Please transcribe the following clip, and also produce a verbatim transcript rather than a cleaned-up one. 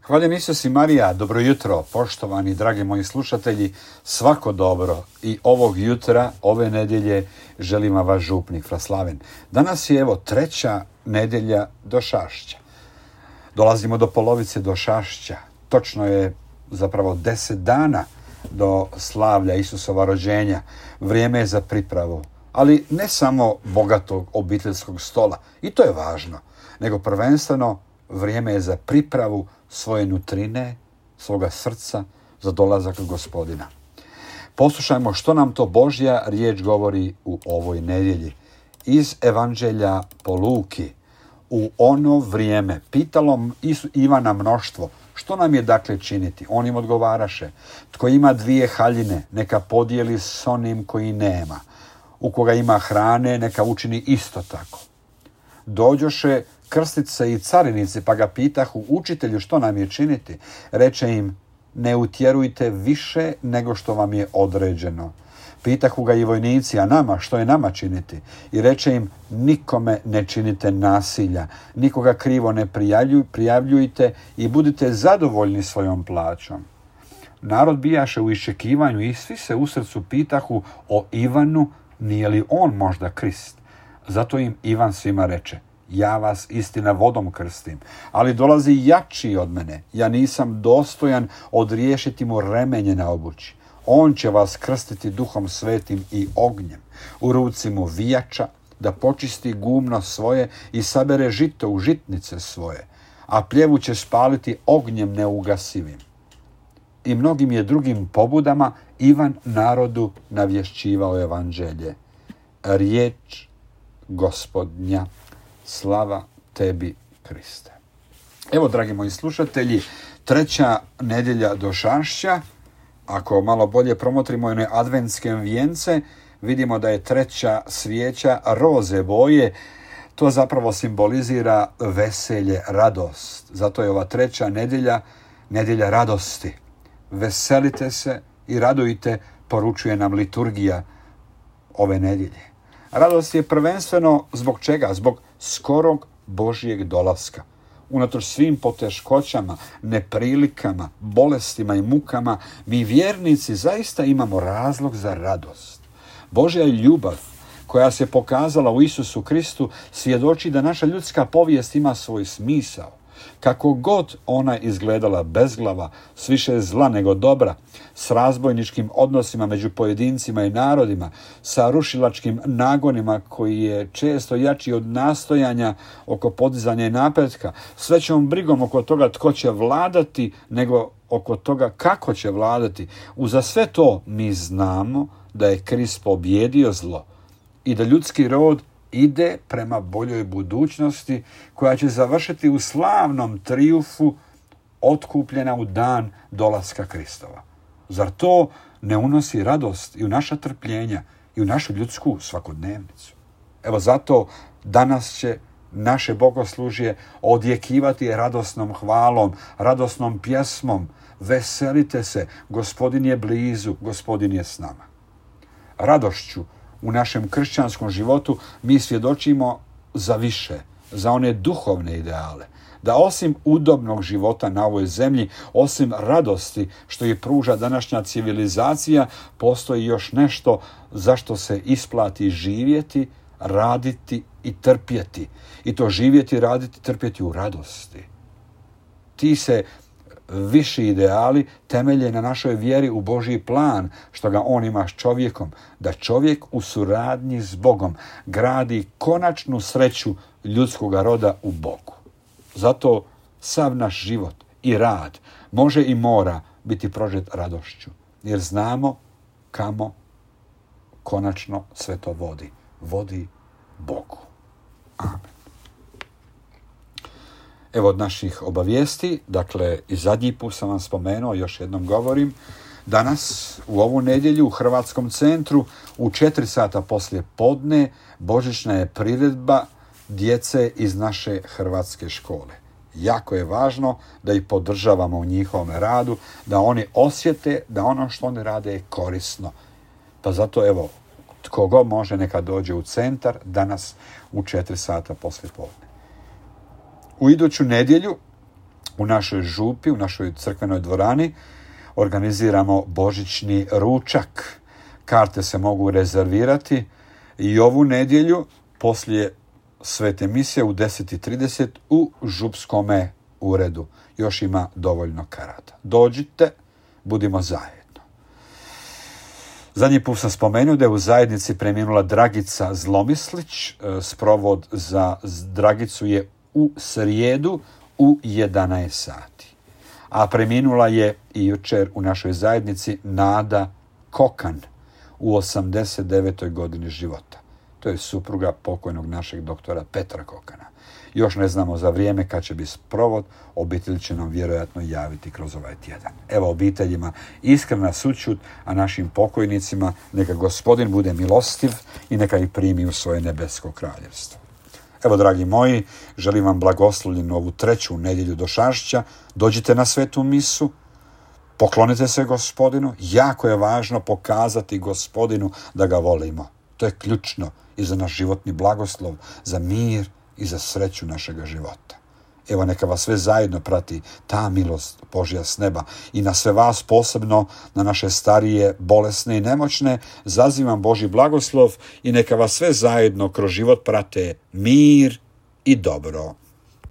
Hvaljen Isus i Marija, dobro jutro, poštovani dragi moji slušatelji, svako dobro i ovog jutra, ove nedjelje želim vam vaš župnik Fraslaven. Danas je evo treća nedjelja Došašća. Dolazimo do polovice Došašća, točno je zapravo deset dana do slavlja Isusova rođenja, vrijeme je za pripravu, ali ne samo bogatog obiteljskog stola, i to je važno, nego prvenstveno vrijeme je za pripravu svoje nutrine, svoga srca za dolazak Gospodina. Poslušajmo što nam to Božja riječ govori u ovoj nedjelji. Iz Evanđelja po Luki. U ono vrijeme pitalo Ivana mnoštvo, što nam je dakle činiti? On im odgovaraše, tko ima dvije haljine, neka podijeli s onim koji nema. U koga ima hrane, neka učini isto tako. Dođoše krstice i carinici, pa ga pitahu, učitelju, što nam je činiti? Reče im, ne utjerujte više nego što vam je određeno. Pitahu ga i vojnici, a nama, što je nama činiti? I reče im, nikome ne činite nasilja, nikoga krivo ne prijavljuj, prijavljujte i budite zadovoljni svojom plaćom. Narod bijaše u iščekivanju i svi se u srcu pitahu o Ivanu, nije li on možda Krist? Zato im Ivan svima reče, ja vas istina vodom krstim, ali dolazi jači od mene. Ja nisam dostojan odriješiti mu remenje na obući. On će vas krstiti duhom svetim i ognjem. U ruci mu vijača, da počisti gumno svoje i sabere žito u žitnice svoje, a pljevu će spaliti ognjem neugasivim. I mnogim je drugim pobudama Ivan narodu navješćivao evanđelje. Riječ Gospodnja. Slava tebi, Kriste. Evo, dragi moji slušatelji, treća nedjelja Došašća. Ako malo bolje promotrimo one adventske vijence, vidimo da je treća svijeća roze boje. To zapravo simbolizira veselje, radost. Zato je ova treća nedjelja, nedjelja radosti. Veselite se i radujte, poručuje nam liturgija ove nedjelje. Radost je prvenstveno zbog čega? Zbog skorog Božjeg dolaska. Unatoč svim poteškoćama, neprilikama, bolestima i mukama, mi vjernici zaista imamo razlog za radost. Božja ljubav koja se pokazala u Isusu Kristu svjedoči da naša ljudska povijest ima svoj smisao. Kako god ona izgledala bezglava, s više zla nego dobra, s razbojničkim odnosima među pojedincima i narodima, sa rušilačkim nagonima koji je često jači od nastojanja oko podizanja i napretka, s većom brigom oko toga tko će vladati nego oko toga kako će vladati. Uza sve to mi znamo da je Krist pobjedio zlo i da ljudski rod ide prema boljoj budućnosti koja će završiti u slavnom triumfu otkupljena u dan dolaska Kristova. Zar to ne unosi radost i u naša trpljenja i u našu ljudsku svakodnevnicu? Evo zato danas će naše bogoslužje odjekivati radosnom hvalom, radosnom pjesmom. Veselite se, Gospodin je blizu, Gospodin je s nama. Radošću u našem kršćanskom životu mi svjedočimo za više, za one duhovne ideale. Da osim udobnog života na ovoj zemlji, osim radosti što je pruža današnja civilizacija, postoji još nešto zašto se isplati živjeti, raditi i trpjeti. I to živjeti, raditi, trpjeti u radosti. Ti se viši ideali temelje na našoj vjeri u Božji plan, što ga on ima s čovjekom, da čovjek u suradnji s Bogom gradi konačnu sreću ljudskog roda u Bogu. Zato sav naš život i rad može i mora biti prožet radošću, jer znamo kamo konačno sve to vodi. Vodi Bogu. Amen. Evo od naših obavijesti, dakle i zadnji put sam vam spomenuo, još jednom govorim, danas u ovu nedjelju u Hrvatskom centru u četiri sata poslije podne božićna je priredba djece iz naše hrvatske škole. Jako je važno da ih podržavamo u njihovom radu, da oni osjete da ono što oni rade je korisno. Pa zato evo, tko god može neka dođe u centar danas u četiri sata poslije podne. U iduću nedjelju u našoj župi, u našoj crkvenoj dvorani, organiziramo božićni ručak. Karte se mogu rezervirati i ovu nedjelju poslije svete misije u deset i trideset u župskome uredu. Još ima dovoljno karata. Dođite, budimo zajedno. Zadnji put sam spomenuo da je u zajednici preminula Dragica Zlomislić. Sprovod za Dragicu je u srijedu u jedanaest sati. A preminula je i jučer u našoj zajednici Nada Kokan u osamdeset devetoj godini života. To je supruga pokojnog našeg doktora Petra Kokana. Još ne znamo za vrijeme kad će biti sprovod, obitelj će nam vjerojatno javiti kroz ovaj tjedan. Evo obiteljima iskrena sućut, a našim pokojnicima neka Gospodin bude milostiv i neka ih primi u svoje nebesko kraljevstvo. Evo, dragi moji, želim vam blagoslovljenu ovu treću nedjelju došašća. Dođite na svetu misu, poklonite se Gospodinu. Jako je važno pokazati Gospodinu da ga volimo. To je ključno i za naš životni blagoslov, za mir i za sreću našega života. Evo, neka vas sve zajedno prati ta milost Božja s neba i na sve vas, posebno na naše starije, bolesne i nemoćne, zazivam Božji blagoslov i neka vas sve zajedno kroz život prate mir i dobro.